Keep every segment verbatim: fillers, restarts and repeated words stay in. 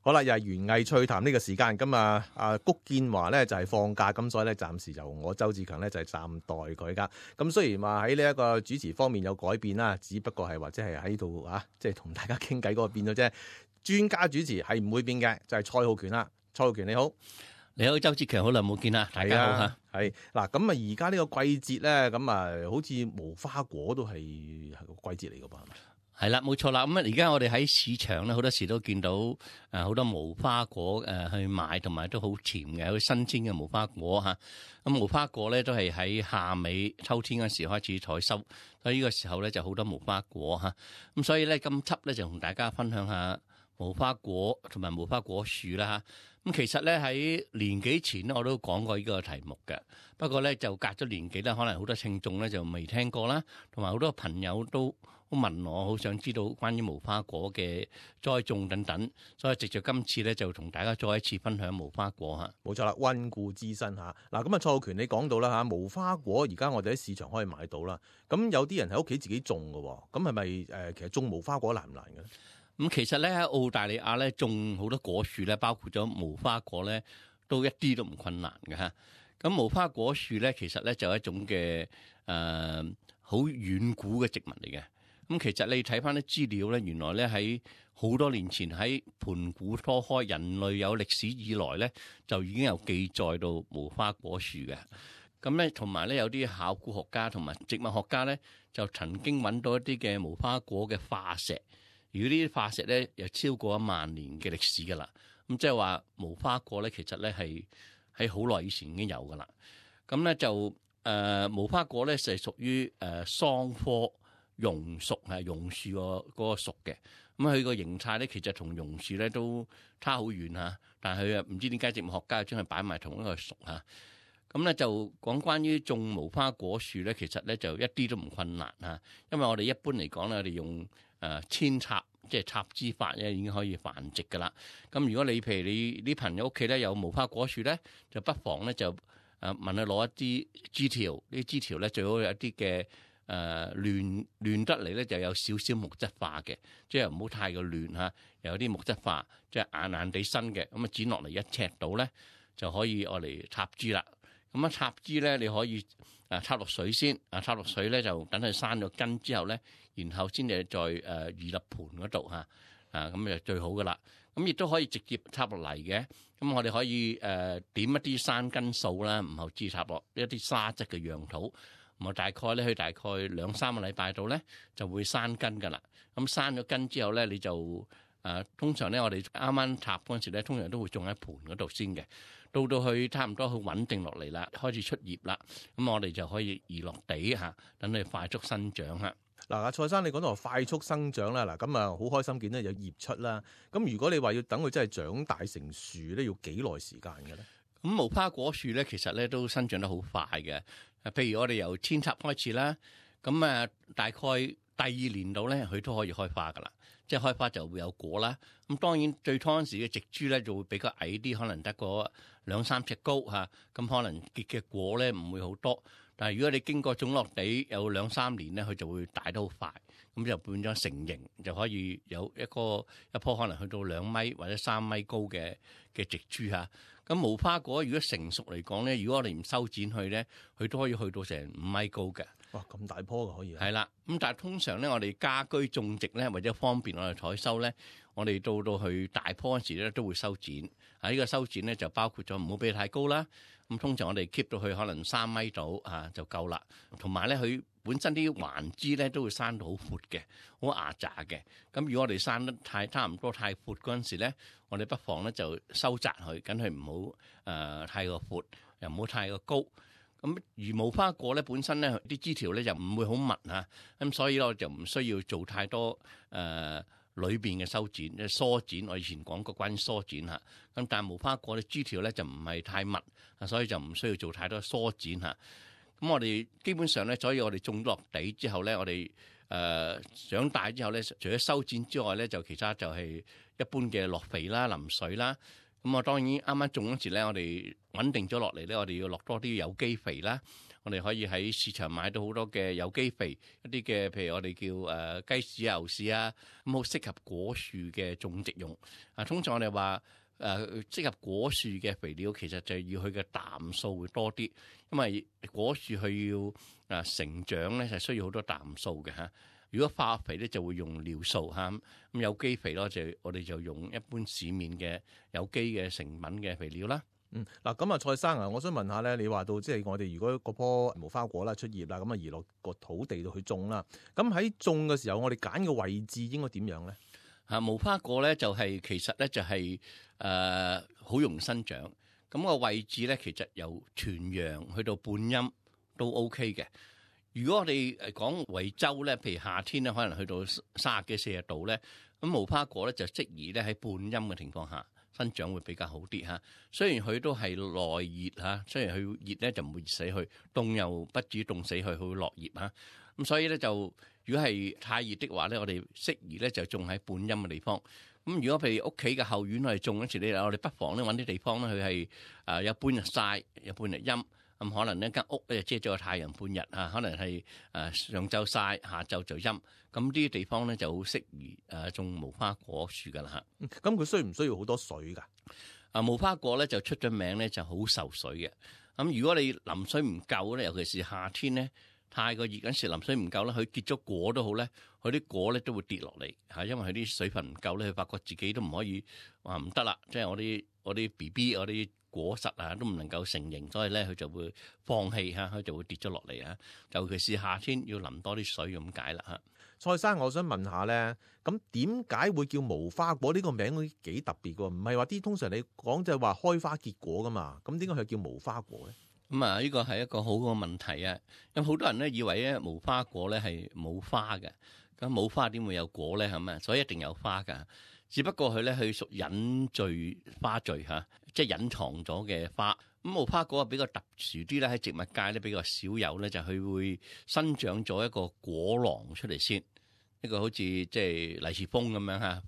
好啦，又係園藝趣談呢個時間，咁啊啊谷建華咧就係放假，咁所以咧暫時由我周志強咧就係暫代佢噶。咁雖然話喺呢一個主持方面有改變啦，只不過係或者係喺度啊，即係同大家傾偈嗰個變咗啫。專家主持係唔會變嘅，就係、是、蔡浩權啦。蔡浩權你好。你好，周志強，好耐冇見啦，大家好吓。係嗱，咁啊而家呢個季節咧，咁啊好似無花果都係係個季節嚟噶噃，係咪？係啦，冇錯啦。咁啊，而家我哋喺市場咧，好多時都見到誒好多無花果誒去賣，同埋都好甜嘅，好新鮮嘅無花果吓。咁無花果咧都係喺夏尾秋天嗰時開始採收，所以呢個時候咧就好多無花果吓。咁所以咧今輯咧就同大家分享下無花果同埋無花果樹啦吓。咁其實咧喺年幾前咧我都講過呢個題目嘅，不過咧就隔咗年幾咧，可能好多聽眾咧就未聽過啦，同埋好多朋友都好問我，好想知道關於無花果嘅栽種等等，所以藉著今次咧就同大家再一次分享無花果嚇。冇錯啦，溫故知新嚇。嗱咁啊，蔡浩權你講到啦嚇，無花果而家我哋喺市場可以買到啦。咁有啲人喺屋企自己種嘅喎，咁係咪誒其實種無花果難唔難嘅咧？咁其實咧喺澳大利亞咧種好多果樹咧，包括咗無花果咧，都一啲都唔困難嘅嚇。咁無花果樹咧，其實咧就係一種嘅誒好遠古嘅植物嚟嘅。咁其實你睇翻啲資料咧，原來咧喺好多年前喺盤古初開，人類有歷史以來咧，就已經有記載到無花果樹嘅。咁咧同埋咧有啲考古學家同埋植物學家咧，就曾經揾到一啲嘅無花果嘅化石。如果呢啲化石咧有超過一萬年嘅歷史噶啦，咁即係話無花果咧，其實咧係喺好耐以前已經有噶啦。咁咧就誒、呃、無花果咧就係屬於誒桑科榕屬，係榕樹個嗰個屬嘅。咁佢個形態咧其實同榕樹咧都差好遠嚇，但係佢啊唔知點解植物學家將佢擺埋同一個屬嚇。咁咧就講關於種無花果樹咧，其實咧就一啲都唔困難嚇，因為我哋一般嚟講咧，我哋用誒扦插，即係插枝法咧，已經可以繁殖噶啦。咁如果你譬如你啲朋友屋企咧有無花果樹咧，就不妨咧就誒問佢攞一啲枝條，呢啲枝條咧最好有一啲嘅誒亂亂得嚟咧，就有少少木質化嘅，即係唔好太過亂嚇，又有啲木質化，即係硬硬地身嘅，咁啊剪落嚟一尺度咧就可以愛嚟插枝啦。咁啊插枝咧，你可以啊插落水先，啊插落水咧就等佢生咗根之後咧，然後先至再誒移入盆嗰度嚇，啊咁就最好噶啦。咁亦都可以直接插落嚟嘅。咁我哋可以誒、呃、點一啲生根素啦，唔後置插落一啲沙質嘅樣土，咁啊大概咧，佢大概兩三個禮拜度咧就會生根噶啦。咁生咗根之後咧，你就誒、呃、通常咧我哋啱啱插嗰陣時咧，通常都會種喺盆嗰度先嘅。到到去差唔多去穩定落嚟啦，開始出葉啦，咁我哋就可以移落地嚇，等佢快速生長嚇。嗱，阿蔡生你講到快速生長啦，嗱咁啊好開心見到有葉出啦。咁如果你話要等佢真係長大成樹咧，要幾耐時間嘅咧？咁無花果樹咧，其實咧都生長得好快嘅。譬如我哋由扦插開始啦，咁啊大概第二年度咧，佢都可以開花噶啦。即係開花就會有果啦。咁當然最初嗰時嘅植株咧就會比較矮啲，可能得個兩三尺高嚇。咁可能結嘅果咧唔會好多。但係如果你經過種落地有兩三年咧，佢就會大得好快。咁就變咗成形，就可以有一個一棵可能去到兩米或者三米高嘅嘅植株嚇。咁無花果如果成熟嚟講咧，如果我哋唔修剪佢咧，佢都可以去到成五米高嘅。哇！咁大棵嘅可以。係啦，咁但係通常咧，我哋家居種植咧，或者方便我哋採收咧，我哋到到去大棵嗰時咧，都會修剪。啊，呢個修剪咧就包括咗唔好俾佢太高啦。咁通常我哋 keep 到佢可能三米度啊就夠啦。同埋咧，佢本身啲環枝咧都會生到好闊嘅，好牙雜嘅。咁如果我哋生得太差唔多太闊嗰陣時咧，我哋不妨咧就收窄佢，緊佢唔好誒太過闊，又唔好太過高。咁而無花果咧本身咧啲枝條咧就唔會好密嚇，咁所以咧我就唔需要做太多誒裏邊嘅修剪，即係梳剪。我以前講過關於梳剪嚇，咁但係無花果啲枝條咧就唔係太密，所以就唔需要做太多梳剪嚇。咁我哋基本上咧，所以我哋種落地之後咧，我哋誒、呃、長大之後咧，除咗修剪之外咧，就其他就係一般嘅落肥啦、淋水啦。咁我當然啱啱種嗰時咧，我哋穩定咗落嚟咧，我哋要落多啲有機肥啦，我哋可以喺市場買到好多嘅有機肥，一啲嘅譬如我哋叫誒、呃、雞屎啊、牛屎啊，咁好適合果樹嘅種植用。啊，通常我哋話誒適合果樹嘅肥料，其實就要佢嘅氮素會多啲，因為果樹佢要誒成長咧，係需要好多氮素嘅嚇。如果化肥咧就會用尿素嚇，咁有機肥咯就我哋就用一般市面嘅有機嘅成品嘅肥料啦。嗯，嗱咁啊，蔡生啊，我想問下咧，你話到即係我哋如果嗰棵無花果啦出葉啦，咁啊移落個土地度去種啦，咁喺種嘅時候，我哋揀嘅位置應該點樣咧？啊，無花果咧就係、是、其實咧就係誒好容易生長，咁、那個位置咧其實由全陽去到半陰都 OK 嘅。如果我哋誒講維州咧，譬如夏天咧，可能去到三十幾四十度咧，咁無花果咧就適宜咧喺半陰嘅情況下生長會比較好啲嚇。雖然佢都係耐熱嚇，雖然佢熱咧就唔會熱死佢，凍又不至於凍死佢，佢會落葉嚇。咁所以咧就如果係太熱的話咧，我哋適宜咧就種喺半陰嘅地方。咁如果譬如屋企嘅後院我哋種嗰時咧，我哋不妨咧揾啲地方咧，佢係誒有半日曬，有半日陰。咁可能呢間屋咧遮咗個太陽半日啊，可能係誒上晝曬，下晝就陰。咁呢啲地方咧就好適宜誒種無花果樹噶啦嚇。咁佢需唔需要好多水㗎？啊，無花果咧就出咗名咧就好受水嘅。咁如果你淋水唔夠咧，尤其是夏天咧太過熱嗰時淋水唔夠咧，佢結咗果都好咧，佢啲果咧都會跌落嚟嚇，因為佢啲水分唔夠咧，佢發覺自己都唔可以話唔得啦。即係我啲我啲 B B 我啲果實啊都唔能夠成形，所以咧佢就會放棄嚇，佢就會跌咗落嚟啊。尤其是夏天要淋多啲水咁解啦嚇。蔡生，我想問下咧，咁點解會叫無花果呢個名幾特別㗎？唔係話啲通常你講就係話開花結果噶嘛？咁點解佢叫無花果咧？咁啊，呢個係一個好嘅問題啊！咁好多人咧以為咧無花果咧係冇花嘅，咁冇花點會有果咧？係咪？所以一定有花㗎。只不過佢咧佢屬隱序花序嚇，即係隱藏咗嘅花。咁無花果啊比較特殊啲咧，喺植物界咧比較少有咧，就係佢會生長咗一個果囊出嚟先，一個好似即係利是封咁樣嚇。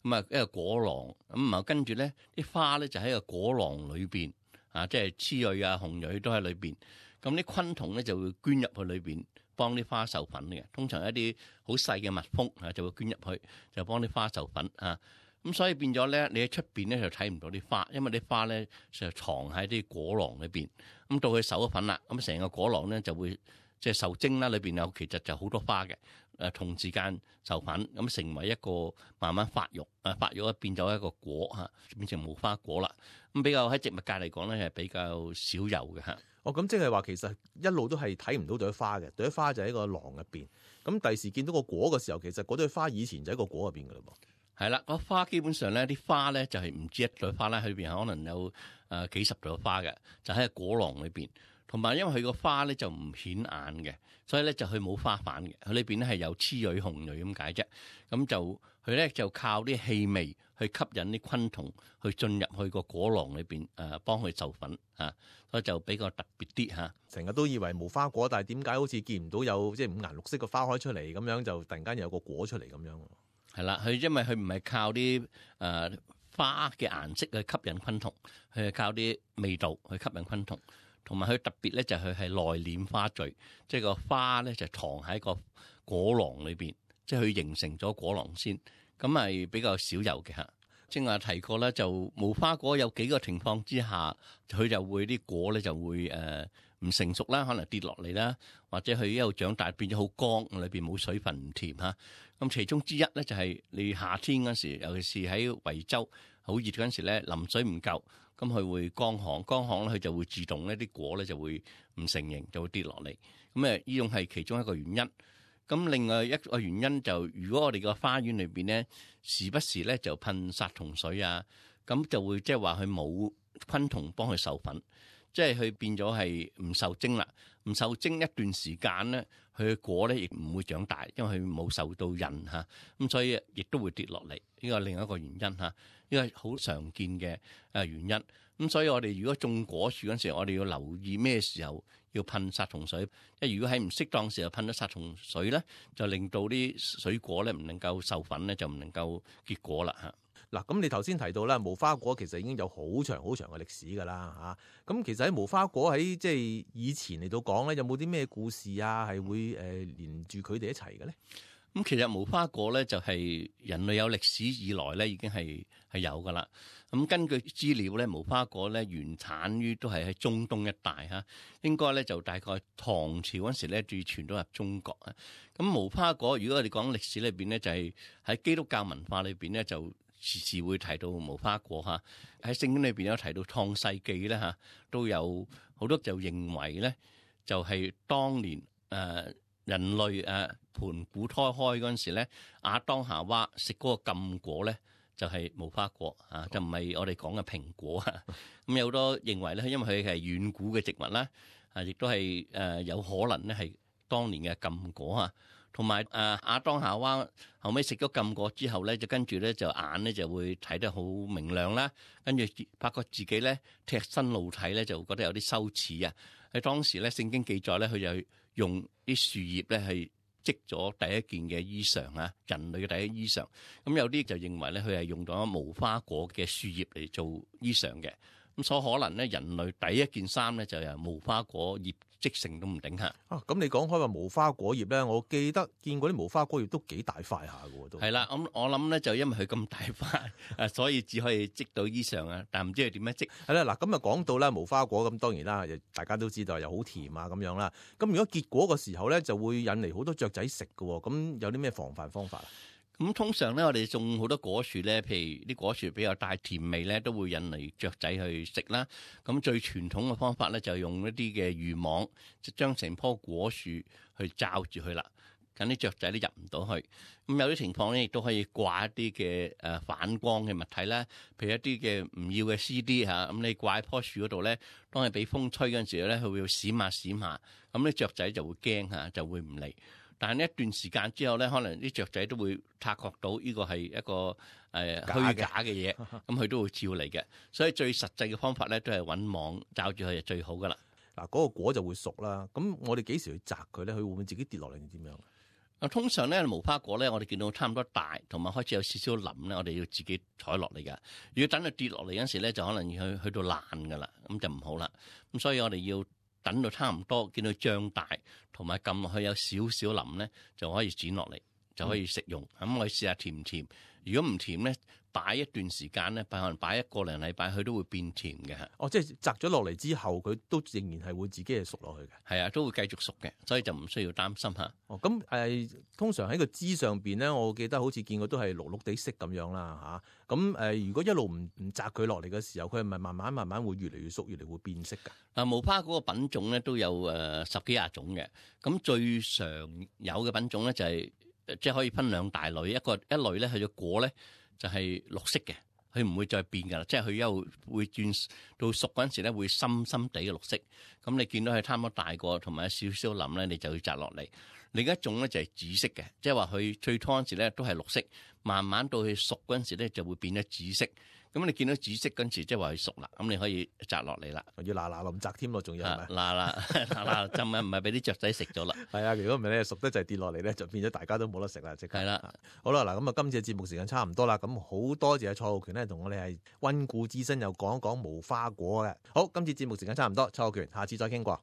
咁啊一個果囊，咁啊跟住咧啲花咧就喺個果囊裏邊啊，即係雌蕊啊、雄蕊都喺裏邊。咁啲昆蟲咧就會捐入去裏邊，幫啲花授粉嘅。通常一啲好細嘅蜜蜂啊，就會捐入去，就幫啲花授粉啊。咁所以變咗咧，你喺出邊咧就睇唔到啲花，因為啲花咧就藏喺啲果囊裏邊。咁到佢授咗粉啦，咁成個果囊咧就會即係受精啦，裏邊有其實就好多花嘅。誒同時間授粉，咁成為一個慢慢發育，誒發育咧變咗一個果嚇，變成無花果啦。咁比較喺植物界嚟講咧係比較少有嘅嚇。哦，咁即係話其實一路都係睇唔到朵花嘅，朵花就喺個囊入邊。咁第時見到個果嘅時候，其實嗰朵花以前就喺個果入邊㗎啦噃。係啦，個花基本上咧啲花咧就係唔止一朵花啦，裏邊可能有誒幾十朵花嘅，就喺個果囊裏邊。同埋因為佢個花咧就唔顯眼嘅，所以咧就佢冇花瓣嘅，佢裏邊咧係有雌蕊雄蕊咁解啫。咁就佢咧就靠啲氣味去吸引啲昆蟲去進入去個果囊裏邊誒，幫佢授粉啊，所以就比較特別啲嚇。成日都以為無花果，但係點解好似見唔到有即係五顏六色嘅花開出嚟咁樣，就突然間有個果出嚟咁樣？係啦，佢因為佢唔係靠啲誒、呃、花嘅顏色去吸引昆蟲，佢係靠啲味道去吸引昆蟲。同埋佢特別咧就係佢係內斂花序，即係個花咧就藏喺個果囊裏邊，即係佢形成咗果囊先，咁係比較少有嘅嚇。正話提過咧，就無花果有幾個情況之下，佢就會啲果咧就會誒唔成熟啦，可能跌落嚟啦，或者佢一路長大變咗好乾，裏邊冇水分唔甜嚇。咁其中之一咧就係你夏天嗰時，尤其是喺維州好熱嗰陣時咧，淋水唔夠。咁佢會乾旱，乾旱咧佢就會自動咧啲果咧就會唔成形，就會跌落嚟。咁誒，呢種係其中一個原因。咁另外一個原因就，如果我哋個花園裏邊咧，時不時咧就噴殺蟲水啊，咁就會即係話佢冇昆蟲幫佢授粉，即係佢變咗係唔受精啦。唔受精一段時間咧，佢嘅果咧亦唔會長大，因為佢冇受到孕嚇，咁所以亦都會跌落嚟。呢個係另一個原因嚇，呢個係好常見嘅誒原因。咁所以我哋如果種果樹嗰陣時候，我哋要留意咩時候要噴殺蟲水。即係如果喺唔適當時候噴咗殺蟲水咧，就令到啲水果咧唔能夠授粉咧，就唔能夠結果啦嚇。嗱，咁你頭先提到啦，無花果其實已經有好長好長嘅歷史㗎啦嚇。咁其實喺無花果喺即係以前嚟到講咧，有冇啲咩故事啊？係會誒、呃、連住佢哋一齊嘅咧？咁其實無花果咧就係人類有歷史以來咧已經係係有噶啦。咁根據資料咧，無花果咧原產於都係喺中東一帶嚇，應該咧就大概唐朝嗰時咧最傳到入中國啊。咁無花果如果我哋講歷史裏邊咧，就係喺基督教文化裏邊咧就時時會提到無花果嚇。喺聖經裏邊有提到創世記咧嚇，都有好多就認為咧就係當年誒。呃人類誒盤古胎開嗰陣時咧，亞當夏娃食嗰個禁果咧，就係、是、無花果啊，就唔係我哋講嘅蘋果啊。咁有好多認為咧，因為佢係遠古嘅植物啦，啊，亦都係誒有可能咧係當年嘅禁果啊。同埋誒亞當夏娃後尾食咗禁果之後咧，就跟住咧就眼咧就會睇得好明亮啦，跟住發覺自己咧赤身露體咧，就覺得有啲羞恥啊。喺當時咧，聖經記載咧，佢就用啲樹葉咧係織咗第一件嘅衣裳啊，人類嘅第一衣裳。咁有啲就認為咧，佢係用咗無花果嘅樹葉嚟做衣裳嘅。咁所可能咧，人類第一件衫咧就由無花果葉織成都唔定嚇。啊，咁你講開話無花果葉咧，我記得見過啲無花果葉都幾大塊下嘅喎，都係啦。咁我諗咧就因為佢咁大塊，誒，所以只可以織到衣裳啊。但唔知佢點樣織？係啦，嗱，咁啊講到咧無花果咁，當然啦，大家都知道又好甜啊咁樣啦。咁如果結果嘅時候咧，就會引嚟好多雀仔食嘅喎。咁有啲咩防範方法啊？咁通常咧，我哋種好多果樹咧，譬如啲果樹比較帶甜味咧，都會引嚟雀仔去食啦。咁最傳統嘅方法咧，就係用一啲嘅漁網，就將成棵果樹去罩住佢啦，咁啲雀仔都入唔到去。咁有啲情況咧，亦都可以掛一啲嘅誒反光嘅物體啦，譬如一啲嘅唔要嘅 C D 嚇，咁你掛喺棵樹嗰度咧，當你俾風吹嗰陣時咧，佢會閃下閃下，咁啲雀仔就會驚嚇，就會唔嚟。但係呢一段時間之後咧，可能啲雀仔都會察覺到呢個係一個誒、呃、虛假嘅嘢，咁佢都會照嚟嘅。所以最實際嘅方法咧，都係揾網罩住佢就最好噶啦。嗱，嗰個果就會熟啦。咁我哋幾時去摘佢咧？佢會唔會自己跌落嚟定點樣？啊，通常咧無花果咧，我哋見到差唔多大，同埋開始有少少腍咧，我哋要自己採落嚟噶。如果等佢跌落嚟嗰陣時咧，就可能要去去到爛噶啦，咁就唔好啦。咁所以我哋要等到差唔多，見到脹大，同埋撳落去有少少腍咧，就可以剪落嚟，就可以食用。咁、嗯、我哋試下甜唔甜？如果唔甜咧，擺一段時間咧，可能擺一個零禮拜，佢都會變甜嘅。哦，即係摘咗落嚟之後，佢都仍然係會自己係熟落去嘅。係啊，都會繼續熟嘅，所以就唔需要擔心嚇。哦，咁誒、呃，通常喺個枝上邊咧，我記得好似見過都係綠綠地色咁樣啦嚇。咁、啊、誒、呃，如果一路唔唔摘佢落嚟嘅時候，佢係咪慢慢慢慢會越嚟越熟，越嚟會變色㗎？嗱，無花果個品種咧都有誒、呃、十幾廿種嘅。咁最常有嘅品種咧就係、是、即係可以分兩大類，一個一類咧佢嘅果咧就係綠色嘅。佢唔會再變㗎啦，即係佢一路會轉到熟嗰陣時咧，會深深地嘅綠色。咁你見到佢差唔多大個，同埋有少少腍咧，你就要摘落嚟。另一種咧就係紫色嘅，即係話佢最初嗰陣時咧都係綠色，慢慢到佢熟嗰陣時咧就會變咗紫色。咁你見到紫色嗰陣時，即係話佢熟啦，咁你可以摘落嚟啦。要嗱嗱臨摘添咯，仲要係咪？嗱嗱嗱嗱浸啊，唔係俾啲雀仔食咗啦。係啊，如果唔係咧，熟得就係跌落嚟咧，就變咗大家都冇得食啦，即刻。係啦的，好啦，嗱咁啊，今次嘅節目時間差唔多啦，咁好多謝蔡浩權咧，同我哋係溫故知新，又講一講無花果嘅。好，今次節目時間差唔多，蔡浩權，下次再傾過。